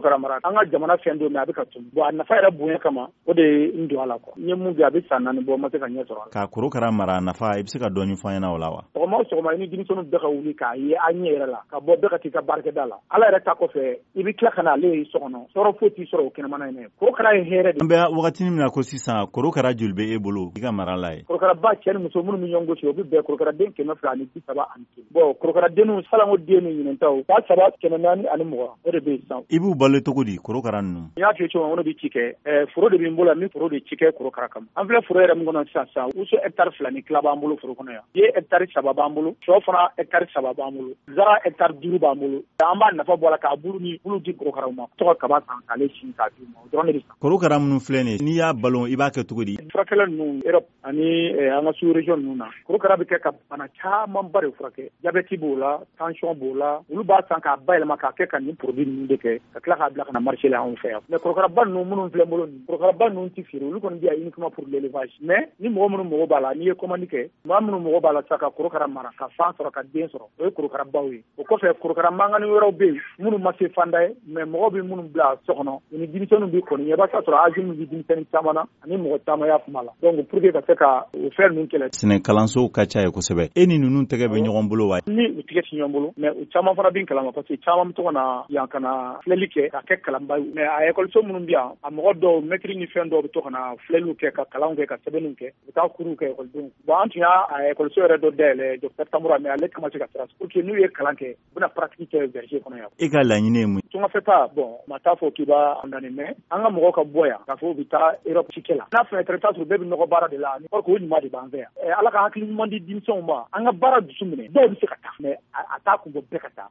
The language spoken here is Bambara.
korokara mara, an ka jamana fɛn don, mais a bɛ ka tunu. Bon, a nafa yɛrɛ bonya kama, o de ye n don a la quoi. N ye mun kɛ, a bɛ san 4 bɔ, n ma se ka ɲɛ sɔrɔ a la. Ka korokara mara, a nafa, i bɛ se ka dɔɔni fɔ an ɲɛna o la wa? Sɔgɔma o sɔgɔma, i ni denmisɛnninw bɛɛ ka wuli k'a ye an ɲɛ yɛrɛ la, ka bɔ, bɛɛ ka t'i ka baarakɛda la. Ala yɛrɛ ta kɔfɛ, i bɛ tila ka na ale ye so kɔnɔ, tɔɔrɔ foyi t'i sɔrɔ o kɛnɛmana in. Korokara ye hɛrɛ de. An bɛ wagati min na ko sisan, korokara joli bɛ e bolo i ka mara la ye? Korokaraba, cɛ ni muso, minnu bɛ ɲɔgɔn gosi, o bɛ bɛn korokaraden 231. Bon, korokaradenninw, salanko den ni ɲinɛntaw, 3420, o de bɛ yen sisan. I b'u balo cogo di, korokara ninnu? N y'a f'i ye cogo min, ne bɛ ci kɛ, foro de bɛ n bolo yan, n bɛ foro de ci kɛ korokara kama. An filɛ foro yɛrɛ min kɔnɔ sisan sisan, wuso hectare 2 ni tila b'an bolo foro kɔnɔ yan, ye hectare 3 b'an bolo, sɔ fana hectare 3 b'an bolo, zara hectare 5 b'an bolo. An b'a nafa bɔ a la k'a bulu ni bulu di korokaraw ma, tɔgɔ kaba san k'ale sin k'a d'u ma, o dɔrɔn de bɛ san. Korokara minnu filɛ nin ye, n'i y'a balo, i b'a kɛ cogo di? Furakɛla ninnu, Europe ani an ka sous région ninnu na, korokara bɛ kɛ ka bana camanba de furakɛ. Diabète b'o la, tension b'o la. Olu b'a san k'a bayɛlɛma k'a kɛ ka nin produit ninnu de kɛ, ka tila k'a bila ka na marché la anw fɛ yan. Mais korokaraba ninnu minnu filɛ n bolo nin, korokaraba ninnu tɛ feere, olu kɔni bɛ yan uniquement pour l'élevage. Mais ni mɔgɔ minnu mago b'a la, n'i ye commande kɛ, maa minnu mago b'a la sisan ka korokara mara, ka fan sɔrɔ, ka den sɔrɔ, o ye korokarabaw ye. O kɔfɛ, korokara mankanni wɛrɛw bɛ yen minnu ma se fanda ye, mais mɔgɔw bɛ minnu bila so kɔnɔ, u ni denmisɛnninw bɛ kɔni ɲɛ, i b'a sɔrɔ âge min bɛ denmisɛnnin caman na ani mɔgɔ caman y'a kuma la. Donc pour que ka se ka o fɛn ninnu kɛlɛ. Sɛnɛ kalansow ka ca ye kosɛbɛ. E ni ninnu tɛgɛ bɛ ɲɔgɔn bolo wa? Ni u tigɛ ti ɲɔgɔn bolo, mais u caman fana bɛ kalama, parce que caman bɛ to ka na yan ka na filɛli kɛ ka kɛ kalanba ye. Mais a ekɔliso minnu bɛ yan, a mɔgɔ dɔw, mɛtiri ni fɛn dɔw bɛ to ka na filɛliw kɛ, ka kalanw kɛ, ka sɛbɛnniw kɛ, u bɛ taa kuruw kɛ ekɔlidenw. Bon, an tun y'a ekɔliso yɛrɛ dɔ dayɛlɛ, docteur Tamura, mais ale kama se ka sira pour que n'u ye kalan kɛ, u bɛna pratique kɛ verger kɔnɔ yan. E ka laɲini ye mun? Tungafɛ, bon, ma t'a fɔ k'i b'a condamner, mais an ka mɔgɔw ka bɔ yan k'a fɔ u bɛ taa Europe cikɛ la, n'a fɛnɛ taara, i bɛ taa sɔrɔ bɛɛ bɛ nɔgɔ baara de la, or que o ɲuman de b'an fɛ yan. Ala ka hakili ɲuman di denmisɛnw ma, an ka baara dusu minɛ. Dɔw bɛ se ka taa, mais a t'a kun bɔ bɛɛ ka taa.